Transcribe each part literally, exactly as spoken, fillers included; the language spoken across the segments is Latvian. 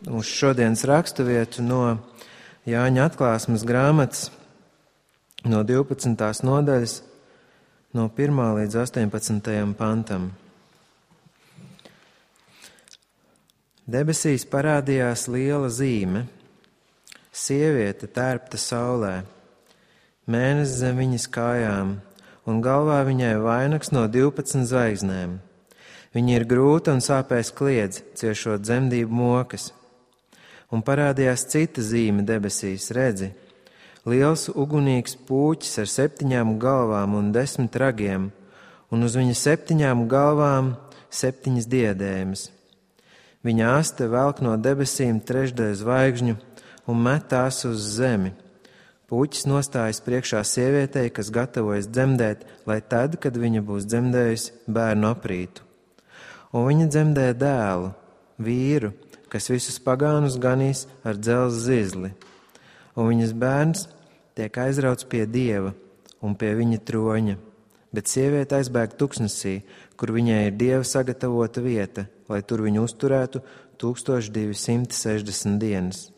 uz šodienas raksturvietu no Jāņa atklāsmes grāmatas, no divpadsmitās nodaļas, no pirmā līdz astoņpadsmitajam pantam. Debesīs parādījās liela zīme, sieviete tērpta saulē, mēnesis zem viņas kājām, un galvā viņai vainags no divpadsmit zvaigznēm. Viņa ir grūta un sāpēs kliedz, ciešot dzemdību mokas. Un parādījās cita zīme debesīs, redzi, liels ugunīgs pūķis ar septiņām galvām un desmit ragiem, un uz viņa septiņām galvām septiņas diadēmas. Viņa aste velk no debesīm trešdaļu zvaigžņu un met tās uz zemi. Pūķis nostājas priekšā sievietei, kas gatavojas dzemdēt, lai tad, kad viņa būs dzemdējusi, bērnu aprītu. Un viņa dzemdē dēlu, vīru, kas visus pagānus ganīs ar dzelzs zizli. Un viņas bērns tiek aizrauts pie Dieva un pie viņa troņa, bet sieviete aizbēg tuksnesī, kur viņai ir Dieva sagatavota vieta, lai tur viņu uzturētu tūkstoš divi simti sešdesmit dienas.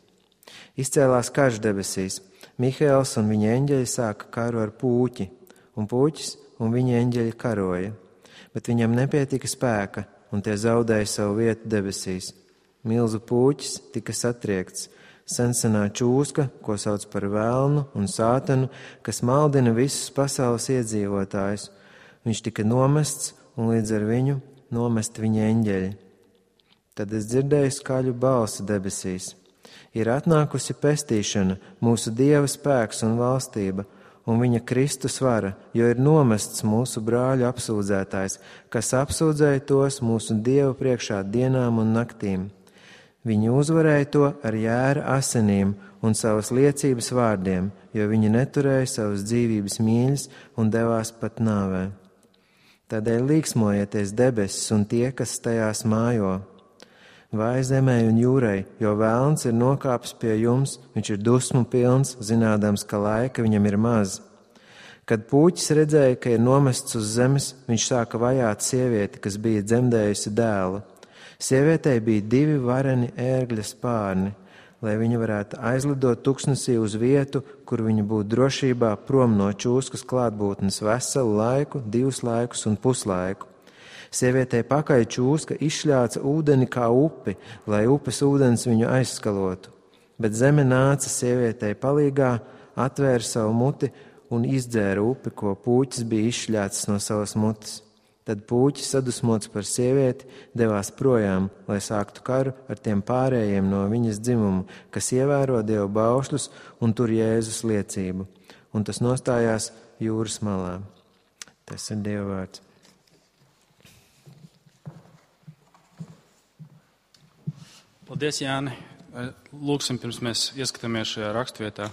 Izcēlās karš debesīs, Mihaēls un viņa eņģeļi sāka karu ar pūķi, un pūķis un viņa eņģeļi karoja, bet viņam nepietika spēka, un tie zaudēja savu vietu debesīs. Milzu pūķis tika satriekts, sensenā čūska, ko sauc par velnu un sātanu, kas maldina visus pasaules iedzīvotājus. Viņš tika nomests, un līdz ar viņu nomest viņa eņģeļi. Tad es dzirdēju skaļu balsi debesīs. Ir atnākusi pestīšana, mūsu Dieva spēks un valstība, un viņa Kristus vara, jo ir nomests mūsu brāļu apsūdzētājs, kas apsūdzēja tos mūsu Dieva priekšā dienām un naktīm. Viņi uzvarēja to ar jēra asinīm un savas liecības vārdiem, jo viņi neturēja savas dzīvības mīļas un devās pat nāvē. Tādēļ līksmojieties debesis un tie, kas tajās mājo. Vai zemē un jūrai, jo velns ir nokāpis pie jums, viņš ir dusmu pilns, zinādams, ka laika viņam ir maz. Kad pūķis redzēja, ka ir nomests uz zemes, viņš sāka vajāt sievieti, kas bija dzemdējusi dēlu. Sievietei bija divi vareni ērgļa spārni, lai viņa varētu aizlidot tuksnesī uz vietu, kur viņa būtu drošībā prom no čūskas klātbūtnes veselu laiku, divus laikus un puslaiku. Sievietei pakaļ čūska izšļāca ūdeni kā upi, lai upes ūdens viņu aizskalotu. Bet zeme nāca sievietei palīgā, atvēra savu muti un izdzēra upi, ko pūķis bija izšļācis no savas mutes. Tad pūķis, sadusmots par sievieti, devās projām, lai sāktu karu ar tiem pārējiem no viņas dzimumu, kas ievēro Dieva baušļus un tur Jēzus liecību. Un tas nostājās jūras malā. Tas ir Dieva vārds. Paldies, Jāni. Lūksim, pirms mēs ieskatāmies šajā rakstvietā.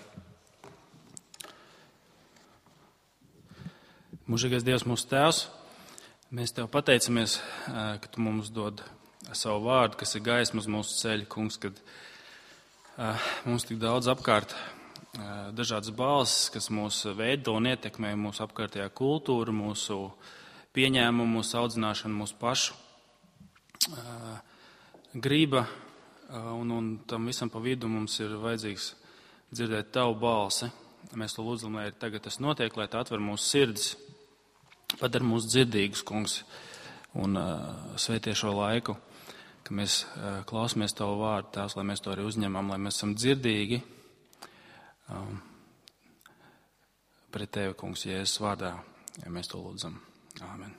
Mūžīgais Dievs, mūsu Tēvs, mēs Tev pateicamies, ka Tu mums dod savu vārdu, kas ir gaisma uz mūsu ceļa, Kungs, kad mums tik daudz apkārt dažādas balsis, kas mūs veido un ietekmē mūsu apkārtējā kultūru, mūsu pieņēmumu, mūsu audzināšanu, mūsu pašu grība, un, un tam visam pa vidu mums ir vajadzīgs dzirdēt Tavu balsi. Mēs to lūdzam, lai tagad tas notiek, lai Tā atver mūsu sirdis. Padara mūs dzirdīgus, Kungs, un uh, sveitie šo laiku, ka mēs uh, klausamies Tavu vārdu, Tēvs, lai mēs to arī uzņemam, lai mēs esam dzirdīgi um, pret Tevi, Kungs, Jēzus vārdā, ja mēs to lūdzam. Āmen.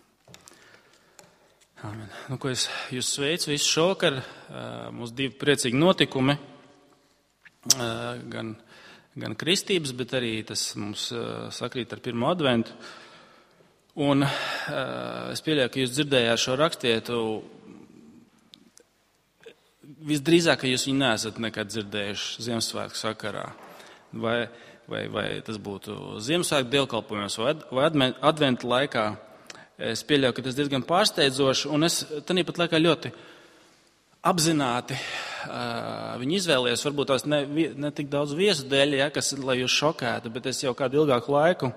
Āmen. Nu, ko es jūs sveicu visu šokar, uh, mūsu divi priecīgi notikumi, uh, gan, gan kristības, bet arī tas mums uh, sakrīt ar pirmo adventu. Un uh, es pieļauju, ka jūs dzirdējāt šo rakstvietu, visdrīzāk, ka jūs viņu neesat nekad dzirdējuši Ziemassvētku sakarā. Vai, vai, vai tas būtu Ziemassvētku dievkalpojumos vai, vai adventa laikā. Es pieļauju, ka tas diezgan pārsteidzoši, un es tāpat laikā ļoti apzināti uh, viņu izvēlējos, varbūt tās ne, ne tik daudz viesu dēļ, ja, kas, lai jūs šokētu, bet es jau kādu ilgāku laiku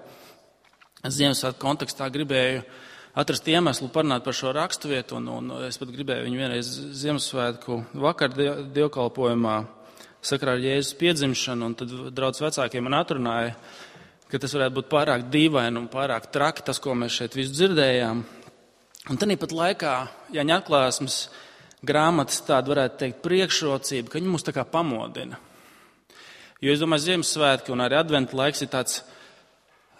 Ziemassvētku kontekstā gribēju atrast iemeslu parunāt par šo raksturvietu, un, un es pat gribēju viņu vienreiz Ziemassvētku vakar dievkalpojumā sakarā ar Jēzus piedzimšanu, un tad draudz vecākie man atrunāja, ka tas varētu būt pārāk dīvaini un pārāk traki, tas, ko mēs šeit visu dzirdējām. Un tad pat laikā Jāņa atklāsmes grāmatas tāda varētu teikt priekšrocība, ka viņi mūs tā kā pamodina. Jo es domāju, Ziemassvētki un arī adventa laiks ir tāds,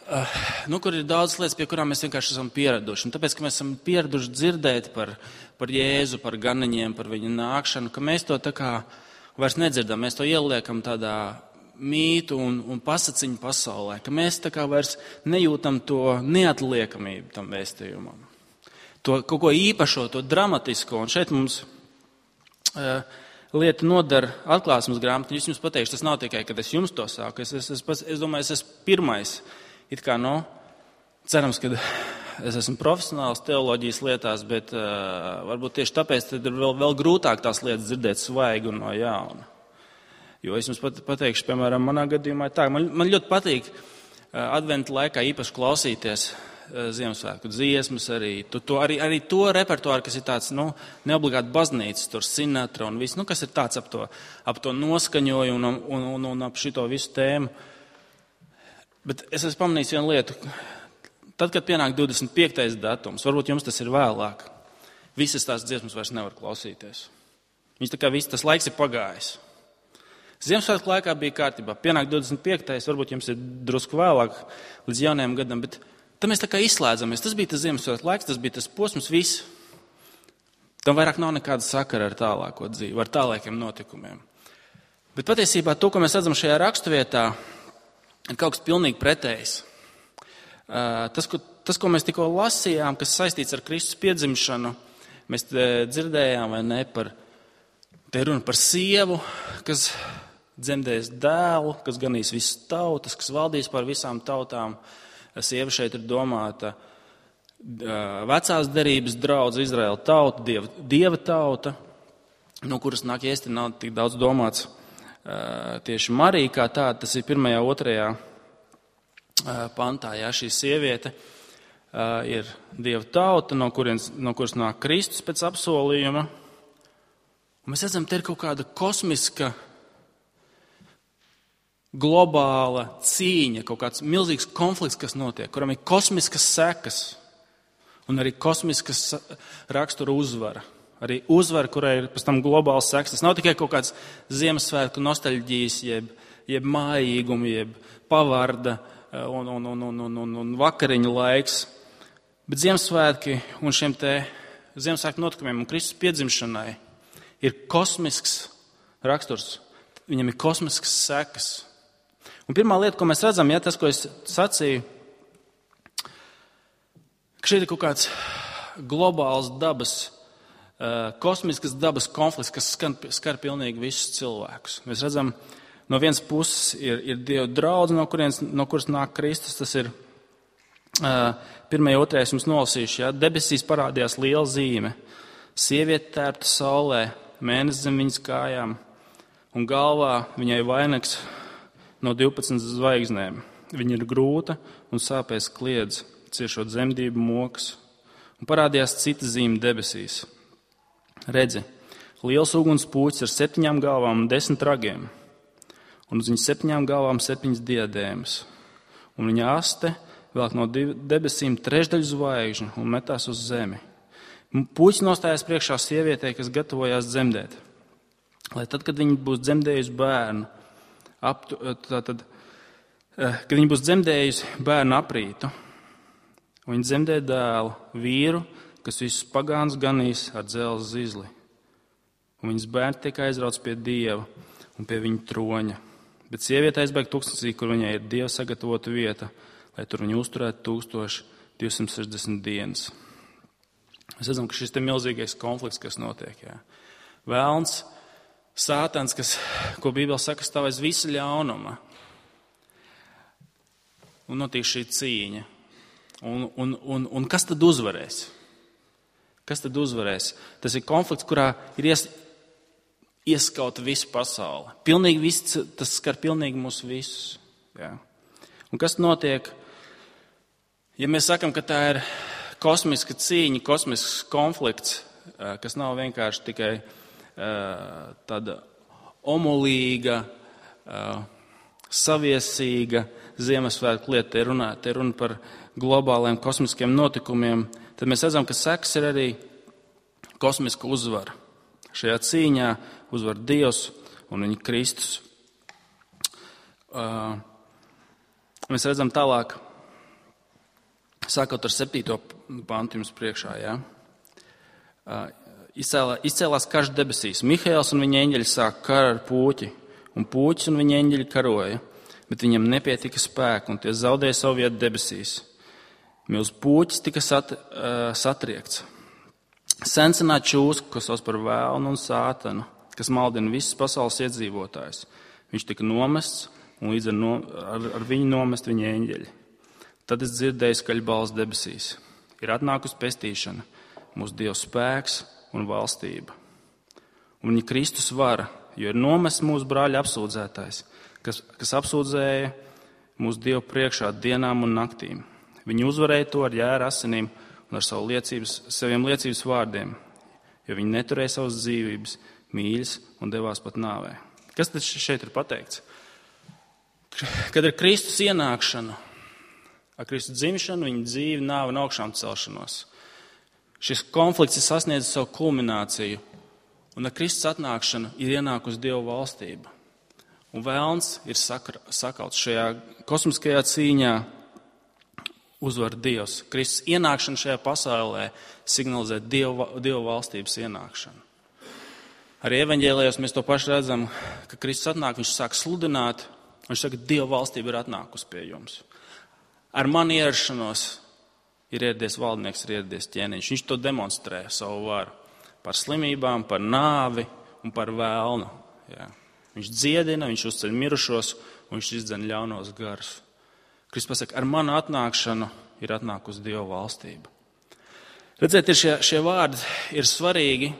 uh, nu, kur ir daudz lietas, pie kurām mēs vienkārši esam pieraduši. Un tāpēc, ka mēs esam pieraduši dzirdēt par, par Jēzu, par ganiņiem, par viņa nākšanu, ka mēs to tā kā vairs nedzirdam, mēs to ieliekam tādā mītu un, un pasaciņu pasaulē, ka mēs tā kā vairs nejūtam to neatliekamību tam vēstījumam. To kaut ko īpašo, to dramatisko, un šeit mums uh, lieta nodara atklāsmes grāmatu. Es jums pateikšu, tas nav tikai, kad es jums to sāku. Es, es, es, es domāju, es esmu pirmais. It kā, no, cerams, ka es esmu profesionāls teoloģijas lietās, bet uh, varbūt tieši tāpēc tad ir vēl, vēl grūtāk tās lietas dzirdēt svaigi un no jauna. Jo es jums pat, pateikšu, piemēram, manā gadījumā ir tā, man, man ļoti patīk uh, adventa laikā īpaši klausīties Ziemassvētku dziesmas, arī to, to, arī, arī to repertuāru, kas ir tāds, nu, neobligāti baznīcas, tur Sinatra un viss, nu, kas ir tāds ap to, ap to noskaņoju un, un, un, un ap šito visu tēmu. Bet es esmu pamanījis vienu lietu. Tad, kad pienāk divdesmit piektais datums, varbūt jums tas ir vēlāk, visas tās dziesmas vairs nevar klausīties. Viņas tā kā viss, tas laiks ir pagājis. Ziemassvētku laikā bija kārtībā. Pienāk divdesmit piektais, varbūt jums ir drusku vēlāk līdz jaunajam gadam, bet tad mēs tā kā izslēdzamies. Tas bija tas Ziemassvētku laiks, tas bija tas posms, viss. Tam vairāk nav nekāda sakara ar tālāko dzīvi, ar tālākiem notikumiem. Bet patiesībā to, ko mēs redzam šajā raksturvietā, ir kaut kas pilnīgi pretējs. Tas, ko, tas, ko mēs tikko lasījām, kas saistīts ar Kristus piedzimšanu, mēs dzirdējām, vai ne, par, te runa par sievu, kas dzemdēs dēlu, kas ganīs visas tautas, kas valdīs pār visām tautām. Sieva šeit ir domāta vecās derības draudz, Izraēla tauta, dieva, dieva tauta, no kuras nāk iesti nav tik daudz domāts tieši Marija kā tāda. Tas ir pirmajā, otrajā pantā. Jā, šī sieviete ir dieva tauta, no, kurien, no kuras nāk Kristus pēc apsolījuma. Un mēs redzam, te ir kaut kāda kosmiska globāla cīņa, kaut kāds milzīgs konflikts, kas notiek, kuram ir kosmiskas sekas un arī kosmiskas rakstura uzvara. Arī uzvara, kurai ir pēc tam globāls sekas. Tas nav tikai kaut kāds Ziemassvētku nostalģijas, jeb, jeb mājīguma, jeb pavarda un, un, un, un, un, un, un vakariņu laiks. Bet Ziemassvētki un šiem te Ziemassvētku notikumiem un Kristus piedzimšanai ir kosmisks raksturs. Viņam ir kosmiskas sekas. Un pirmā lieta, ko mēs redzam, ja tas, ko es sacīju, ka šeit ir kaut kāds globāls dabas, kosmiskas dabas konflikts, kas skar, skar pilnīgi visus cilvēkus. Mēs redzam, no vienas puses ir, ir Dieva draudze, no, kurienes, no kuras nāk Kristus. Tas ir pirmajā, otrajā jums nolasījuši. Ja? Debesīs parādījās liela zīme. Sieviete tērpta saulē, mēnesis zem viņas kājām, un galvā viņai vainags no divpadsmit zvaigznēm. Viņa ir grūta un sāpēs kliedz, ciešot zemdību mokas. Un parādījās cita zīme debesīs. Redzi, liels uguns pūķis ar septiņām galvām un desmit ragiem. Un uz viņas septiņām galvām septiņas diadēmas. Un viņa aste velk no debesīm trešdaļu zvaigžņu un metās uz zemi. Pūķis nostājās priekšā sievietei, kas gatavojās dzemdēt. Lai tad, kad viņa būs dzemdējusi bērnu, Aptu, tātad, kad viņa būs dzemdējusi bērnu aprītu, un viņa dzemdē dēlu, vīru, kas visus pagāns ganīs ar dzelzs zizli. Un viņas bērni tiek aizrauts pie Dieva un pie viņa troņa. Bet sieviete aizbēg tūkstnesī, kur viņai ir Dieva sagatavota vieta, lai tur viņu uzturētu tūkstoš divsimt sešdesmit dienas. Mēs redzam, ka šis te milzīgais konflikts, kas notiek, jā. Vēlns, Sātans, kas, ko Bībele saka, stāv aiz visa ļaunuma. Un notiek šī cīņa. Un, un, un, un kas tad uzvarēs? Kas tad uzvarēs? Tas ir konflikts, kurā ir ies, ieskauta visa pasaule. Pilnīgi viss, tas skar pilnīgi mūs visus. Jā. Un kas notiek? Ja mēs sakam, ka tā ir kosmiska cīņa, kosmisks konflikts, kas nav vienkārši tikai tāda omulīga, saviesīga Ziemassvētku lieta, te runa, te runa par globāliem kosmiskiem notikumiem, tad mēs redzam, ka sekas ir arī kosmiska uzvara. Šajā cīņā uzvar Dievs un viņa Kristus. Mēs redzam tālāk, sākot ar septīto pantu jums priekšā, jā. Izcēlā, izcēlās karš debesīs. Mihaēls un viņa eņģeļi sāk karu ar pūķi, un pūķis un viņa eņģeļi karoja, bet viņiem nepietika spēku, un tie zaudēja savu vietu debesīs. Milz pūķis tika sat, uh, satriekts. Sensenā čūska, ko sauc par vēlnu un sātanu, kas maldina visas pasaules iedzīvotājus. Viņš tika nomests, un līdz ar, no, ar, ar viņu nomest viņa eņģeļi. Tad es dzirdēju skaļu balsi debesīs. Ir atnākusi pestīšana, mūsu Dieva spēks un valstība. Un viņa Kristus vara, jo ir nomests mūsu brāļa apsūdzētājs, kas, kas apsūdzēja mūsu Dievu priekšā dienām un naktīm. Viņi uzvarēja to ar jēra asinīm un ar savu liecības, saviem liecības vārdiem, jo viņi neturēja savas dzīvības, mīļas un devās pat nāvē. Kas tad šeit ir pateikts? Kad ir Kristus ienākšana, ar Kristus dzimšanu, viņa dzīve, nāve un augšām celšanos. Šis konflikts ir sasniedzis savu kulmināciju, un ar Kristus atnākšanu ir ienākusi Dieva valstība. Un vēlns ir sakauts šajā kosmiskajā cīņā, uzvar Dievs. Kristus ienākšana šajā pasaulē signalizē Dieva, Dieva valstības ienākšanu. Arī evaņģēlijos mēs to pašu redzam, ka Kristus atnāk, viņš sāk sludināt, viņš saka, Dieva valstība ir atnākusi pie jums. Ar mani ierašanos ir ieradies valdnieks, ir ieradies ķēniņš. Viņš to demonstrē savu varu par slimībām, par nāvi un par vēlnu. Jā. Viņš dziedina, viņš uzceļ mirušos un viņš izdzen ļaunos garus. Kristus pasaka, ar manu atnākšanu ir atnākusi Dieva valstība. Redzēt, ir šie, šie vārdi ir svarīgi.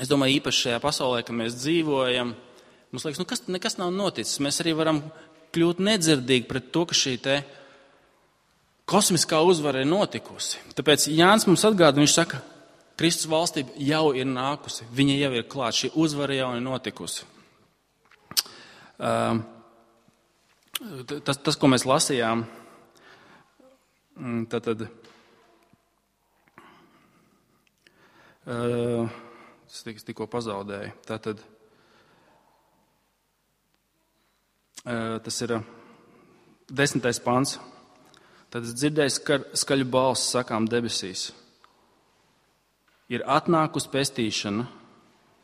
Es domāju, īpaši šajā pasaulē, ka mēs dzīvojam, mums liekas, nu kas, nekas nav noticis. Mēs arī varam kļūt nedzirdīgi pret to, ka šī te kosmiskā uzvara ir notikusi. Tāpēc Jānis mums atgādina, viņš saka, Kristus valstība jau ir nākusi, viņa jau ir klāt, šī uzvara jau ir notikusi. Uh, tas, tas, ko mēs lasījām, tad, tad uh, es tikko pazaudēju. Tātad, uh, tas ir desmitais pants. Tad es dzirdēju skar, skaļu balsi sakām debesīs. Ir atnākusi pestīšana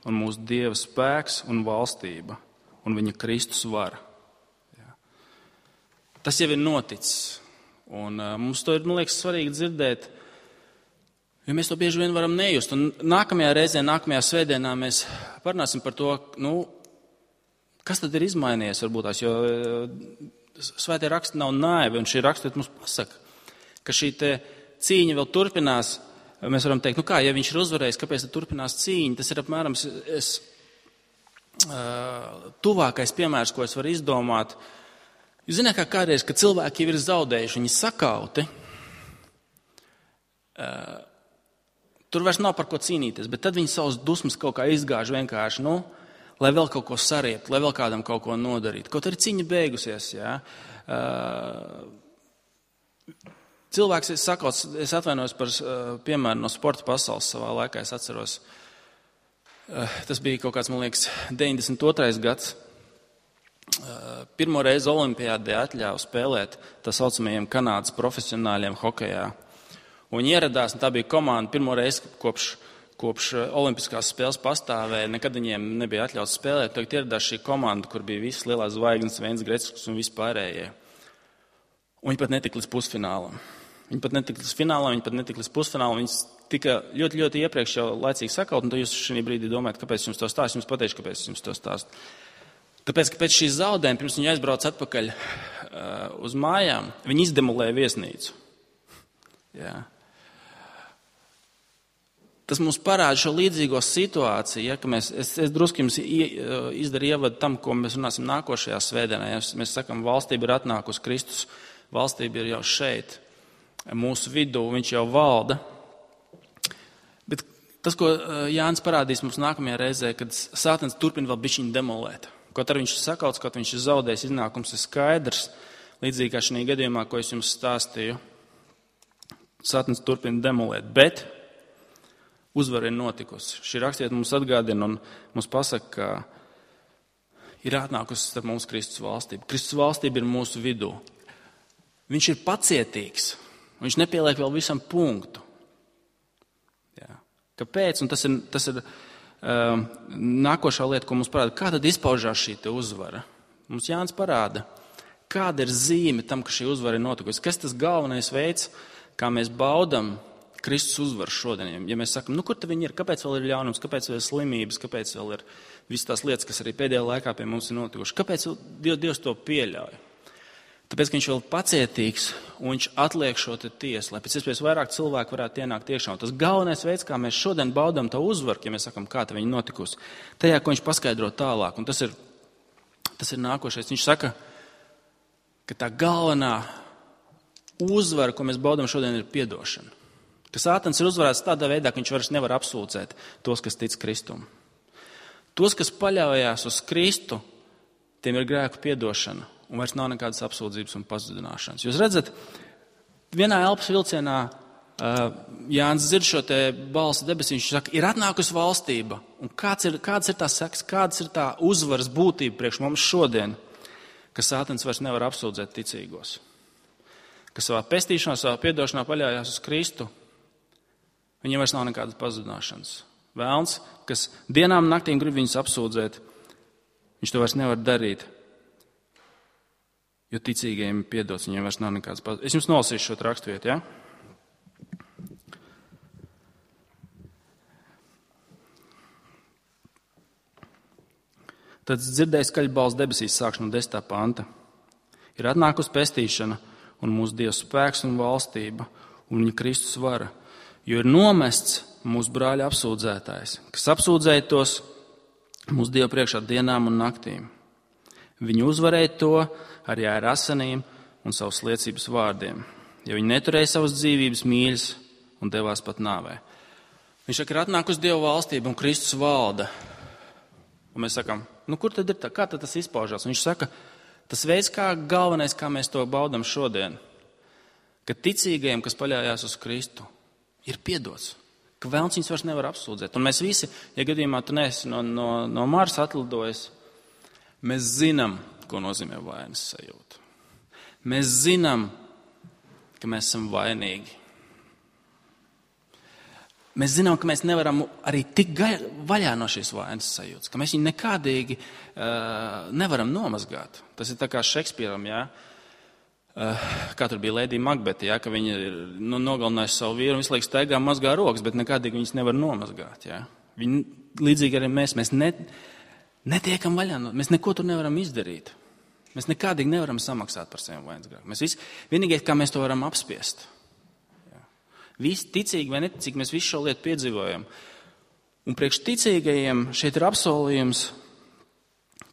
un mūsu Dieva spēks un valstība un viņa Kristus vara. Jā. Tas jau ir noticis. Un uh, mums to ir, man liekas, svarīgi dzirdēt, jo mēs to bieži vien varam nejust. Un nākamajā reizē, nākamajā svētdienā mēs parunāsim par to, nu, kas tad ir izmainījies varbūt tās, jo uh, Svētie raksti nav naivi, un šī raksturiet mums pasaka, ka šī te cīņa vēl turpinās. Mēs varam teikt, nu kā, ja viņš ir uzvarējis, kāpēc tad turpinās cīņa? Tas ir apmēram es, uh, tuvākais piemērs, ko es varu izdomāt. Jūs zināt, kā kādreiz, kad cilvēki jau ir zaudējuši, viņi sakauti, uh, tur vairs nav par ko cīnīties, bet tad viņi savus dusmas kaut kā izgāž vienkārši, nu, lai vēl kaut ko sariept, lai vēl kādam kaut ko nodarīt. Kaut arī cīņa beigusies, jā. Uh, cilvēks, es saku, es atvainojos par uh, piemēru no sporta pasaules savā laikā, es atceros. Uh, tas bija kaut kāds, man liekas, deviņdesmit otrais gads. Uh, pirmo reizi olimpiādē atļāva spēlēt tā saucamajiem Kanādas profesionāļiem hokejā. Un viņi ieradās, un tā bija komanda pirmo reizi kopš Kopš olimpiskās spēles pastāvēja, nekad viņiem nebija atļauts spēlēt. Tagad ieradās šī komanda, kur bija visas lielās zvaigznes, Veins Greckis un vispārējie. Un viņi pat netika līdz pusfinālam. Viņi pat netika līdz finālam, viņi pat netika līdz pusfinālam. Viņi tika ļoti, ļoti iepriekš jau laicīgi sakaut, un tad jūs šī brīdī domājat, kāpēc jums to stāst. Jums pateikšu, kāpēc jums to stāst. Tāpēc, ka pēc šīs zaudējuma, pirms viņi aizbrauc atpakaļ uh, uz mājām, viņi izdemolēja viesnīcu. Jā. Tas mums parāda šo līdzīgo situāciju, ja, ka mēs, es, es drusku jums izdaru ievadu tam, ko mēs runāsim nākošajā svētdienā. Ja mēs sakam, valstība ir atnākusi, Kristus valstība ir jau šeit. mūsu vidū, viņš jau valda. Bet tas, ko Jānis parādīs mums nākamajā reizē, kad Sātans turpina vēl bišķiņu demolēt. Kaut arī viņš ir sakauts, kaut viņš ir zaudējis, iznākums ir skaidrs, līdzīgi kā šajā gadījumā, ko es jums stāstīju. Sātans turpina demolēt, bet uzvara ir notikusi. Šī rakstiet mums atgādina un mums pasaka, ka ir atnākusi starp mums Kristus valstība. Kristus valstība ir mūsu vidū. Viņš ir pacietīgs. Viņš nepieliek vēl visam punktu. Jā. Kāpēc? Un tas ir, tas ir um, nākošā lieta, ko mums parāda. Kā tad izpaužās šī te uzvara? Mums Jānis parāda, kāda ir zīme tam, ka šī uzvara ir notikusi. Kas tas galvenais veids, kā mēs baudam Kristus uzvaru šodien? Ja mēs sakam, nu kur tad viņi ir? Kāpēc vēl ir ļaunums? Kāpēc vēl ir slimības? Kāpēc vēl ir visas tās lietas, kas arī pēdējā laikā pie mums ir notikušas? Kāpēc Dievs to pieļauj? Tāpēc, ka viņš vēl pacietīgs un viņš atliek šo te tiesu, lai pēc iespējas vairāk cilvēku varētu ienākt iekšā. Un tas galvenais veids, kā mēs šodien baudām to uzvaru, ja mēs sakam, kā tā viņa notikusi, tajā, ko viņš paskaidro tālāk. Un tas ir, tas ir nākošais. Viņš saka, ka tā galvenā uzvara, ko mēs baudām šodien, ir piedošana. Ka Sātans ir uzvarēts tādā veidā, ka viņš vairs nevar apsūdzēt tos, kas tic Kristum. Tos, kas paļaujās uz Kristu, tiem ir grēku piedošana. Un vairs nav nekādas apsūdzības un pazudināšanas. Jūs redzat, vienā elpas vilcienā uh, Jānis dzird šo te balsi debesīs, viņš saka, ir atnākusi valstība. Un kāds ir, kāds ir tā seks, kāds ir tā uzvaras būtība priekš mums šodien, ka Sātans vairs nevar apsūdzēt ticīgos. Ka savā pestīšanā, savā piedošanā paļājās uz Kristu, viņiem vairs nav nekādas pazudināšanas. Vēlns, kas dienām un naktīm grib viņus apsūdzēt, viņš to vairs nevar darīt. Jo ticīgajiem ir piedots, viņiem vairs nav nekādas pazudināšanas. Es jums nolasīšu šo raksturvietu, ja? Tad dzirdēju skaļu balsi debesīs, sākšu no desmitā panta. Ir atnākusi pestīšana un mūsu Dieva spēks un valstība un viņa Kristus vara, jo ir nomests mūsu brāļa apsūdzētājs, kas apsūdzēja tos mūsu Dieva priekšā dienām un naktīm. Viņi uzvarēja to arī ar asinīm un savas liecības vārdiem, jo viņi neturēja savas dzīvības mīļas un devās pat nāvē. Viņš saka, ir atnākusi Dieva valstība un Kristus valda. Un mēs sakam, nu kur tad ir tā, kā tad tas izpaužās? Un viņš saka, tas veids, kā galvenais, kā mēs to baudam šodien, ka ticīgajiem, kas paļājās uz Kristu, ir piedots, ka vēlns viņus vairs nevar apsūdzēt. Un mēs visi, ja gadījumā tu neesi no, no, no Marsa atlidojis, mēs zinām, ko nozīmē vainas sajūta. Mēs zinām, ka mēs esam vainīgi. Mēs zinām, ka mēs nevaram arī tik vaļā no šīs vainas sajūtas, ka mēs viņu nekādīgi uh, nevaram nomazgāt. Tas ir tā kā Šekspīram, jā, uh, kā tur bija Lēdija Makbete, jā, ka viņa ir nu, nogalinājusi savu vīru un visu laiku staigā mazgā rokas, bet nekādīgi viņas nevar nomazgāt. Jā. Viņi, līdzīgi arī mēs, mēs ne, netiekam vaļā, no, mēs neko tur nevaram izdarīt. Mēs nekādīgi nevaram samaksāt par saviem vainas grēkiem. Mēs visi, vienīgais, kā mēs to varam apspiest. Jā. Visi ticīgi vai neticīgi, mēs visu šo lietu piedzīvojam. Un priekš ticīgajiem šeit ir apsolījums,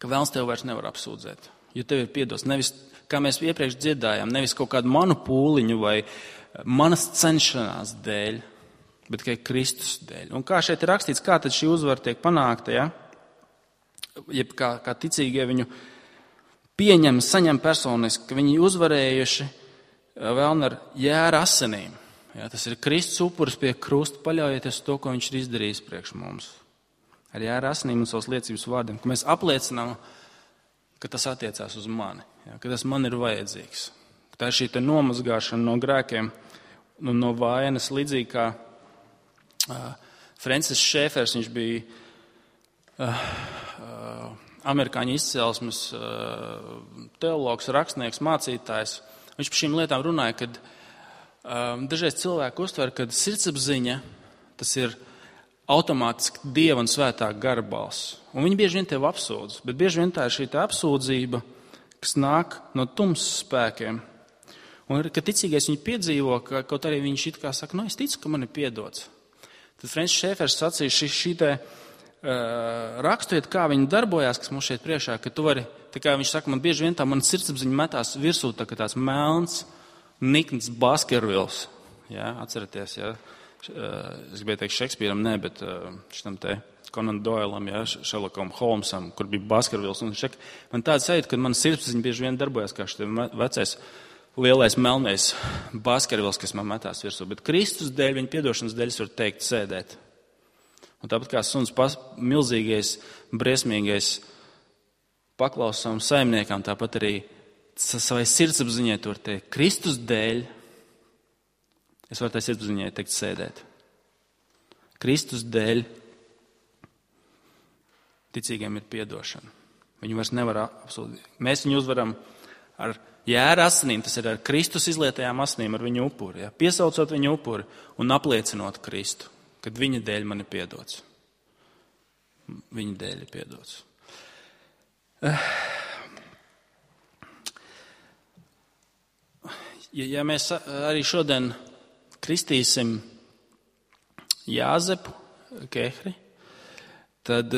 ka vēlns tev vairs nevar apsūdzēt. Jo tev ir piedots nevis, kā mēs iepriekš dziedājām, nevis kaut kādu manu pūliņu vai manas cenšanās dēļ, bet tikai Kristus dēļ. Un kā šeit ir rakstīts, kā tad šī uzvara tiek panākta, ja? Jeb kā, kā ticīgie viņu pieņem, saņem personiski, ka viņi uzvarējuši vēlni ar jēra asinīm. Ja, tas ir Kristus upuris pie krusta, paļaujieties to, ko viņš ir izdarījis priekš mums. Ar jēra asinīm un savas liecības vārdiem, ka mēs apliecinām, ka tas attiecās uz mani, ja, ka tas man ir vajadzīgs. Tā ir šī te nomazgāšana no grēkiem, no, no vainas, līdzīgi kā uh, Francis Šēfers, viņš bija uh, uh, amerikāņu izcelsmes teologs, rakstnieks, mācītājs. Viņš par šīm lietām runāja, kad um, dažreiz cilvēki uztver, ka sirdsapziņa tas ir automātiski Dieva un svētā gara balss. Un viņi bieži vien tev apsūdz, bet bieži vien tā ir šī tā apsūdzība, kas nāk no tumsas spēkiem. Un, kad ticīgais viņu piedzīvo, ka kaut arī viņš it kā saka, nu es ticu, ka man ir piedots. Tad Francis Šēfers sacīja šī, šī te raksturiet, kā viņi darbojās, kas mums šeit priekšā, ka tu vari, tā kā viņš saka, man bieži vien tā man sirdsapziņa metās virsū, tā kā tāds melns Nikns Baskervils, jā, atceraties, jā, es gribēju teikt Šekspīram, ne, bet šitam te Conan Doilam, jā, Sherlockam Holmesam, kur bija Baskervils. Un šek, man tāds sajūta, ka man sirdsapziņa bieži vien darbojas kā šitam vecais lielais melnais Baskervils, kas man metās virsū. Bet Kristus dēļ, viņa piedošanas dēļ es varu teikt sēdēt. Un tāpat kā suns pas, milzīgais, briesmīgais paklaus savam saimniekam, tāpat arī savai sirdsapziņai tur teikt, Kristus dēļ, es varu tai sirdsapziņai teikt sēdēt. Kristus dēļ ticīgiem ir piedošana. Viņu vairs nevar absolūti. Mēs viņu uzvaram ar jēra asinīm, tas ir ar Kristus izlietajām asinīm, ar viņu upuri, ja? Piesaucot viņu upuri un apliecinot Kristu, kad viņa dēļ man ir piedots. Viņa dēļ ir piedots. Ja, ja mēs arī šodien kristīsim Jāzepu Kehri, tad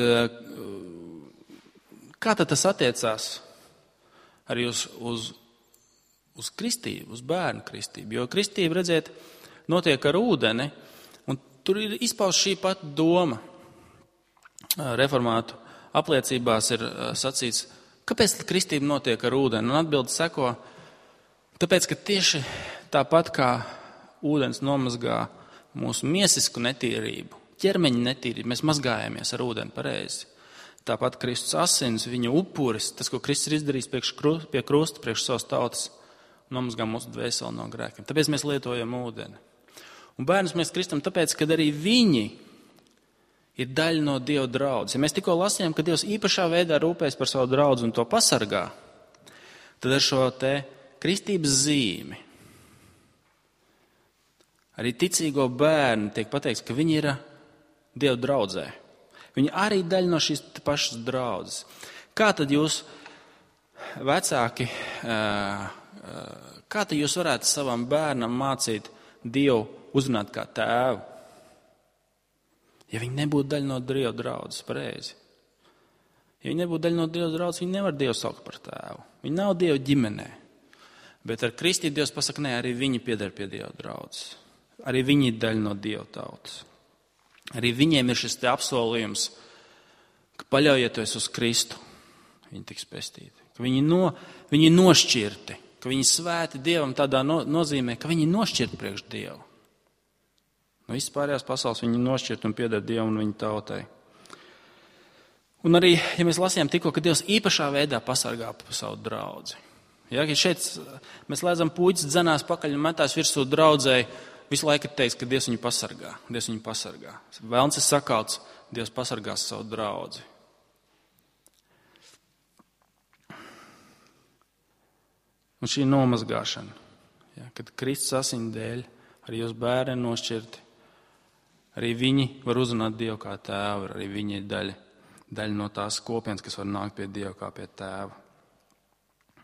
kā tad tas attiecās arī uz, uz, uz kristību, uz bērnu kristību? Jo kristība, redziet, notiek ar ūdeni, un tur ir izpaust šī pat doma. Reformātu apliecībās ir sacīts, kāpēc kristība notiek ar ūdeni? Un atbilde seko, tāpēc, ka tieši tāpat kā ūdens nomazgā mūsu miesisku netīrību, ķermeņa netīrību, mēs mazgājamies ar ūdeni pareizi. Tāpat Kristus asins, viņa upuris, tas, ko Kristus ir izdarījis pie krusta, priekš savas tautas, nomazgā mūsu dvēseli no grēkiem. Tāpēc mēs lietojam ūdeni. Un bērnus mēs kristam tāpēc, ka arī viņi ir daļa no Dieva draudzes. Ja mēs tikko lasījām, ka Dievs īpašā veidā rūpēs par savu draudzi un to pasargā, tad ar šo te kristības zīmi arī ticīgo bērnu tiek pateikts, ka viņi ir Dieva draudzē. Viņi arī daļa no šīs pašas draudzes. Kā tad jūs, vecāki, kā tad jūs varētu savam bērnam mācīt Dievu uzrunāt kā tēvu? Ja viņi nebūtu daļa no Dieva draudzes, pareizi. Ja viņi nebūtu daļa no Dieva draudzes, viņi nevar Dievu saukt par tēvu. Viņi nav Dieva ģimenē. Bet ar kristību Dievs pasaka, nē, arī viņi pieder pie Dieva draudzes. Arī viņi ir daļa no Dieva tautas. Arī viņiem ir šis te apsolījums, ka paļaujieties uz Kristu, viņi tiks pestīti. Ka viņi, no, viņi ir nošķirti, ka viņi svēti Dievam tādā no, nozīmē, ka viņi ir nošķirti priekš Dievu. No visas pārējās pasaules viņi ir nošķirti un pieder Dievam un viņa tautai. Un arī, ja mēs lasījām tikko, ka Dievs īpašā veidā pasargā par savu draudzi. Ja, ka šeit mēs lēdzam puķis dzenās pakaļ un metās virsū draudzēji, visu laiku ir teiks, ka Dievs viņu pasargā. Dievs viņu pasargā. Velns ir sakauts, Dievs pasargās savu draudzi. Un šī nomazgāšana, ja, kad Kristus asiņu dēļ arī jūs bērni nošķirti, arī viņi var uzrunāt Dievu kā tēvu, arī viņi ir daļa, daļa no tās kopienas, kas var nākt pie Dieva kā pie tēva.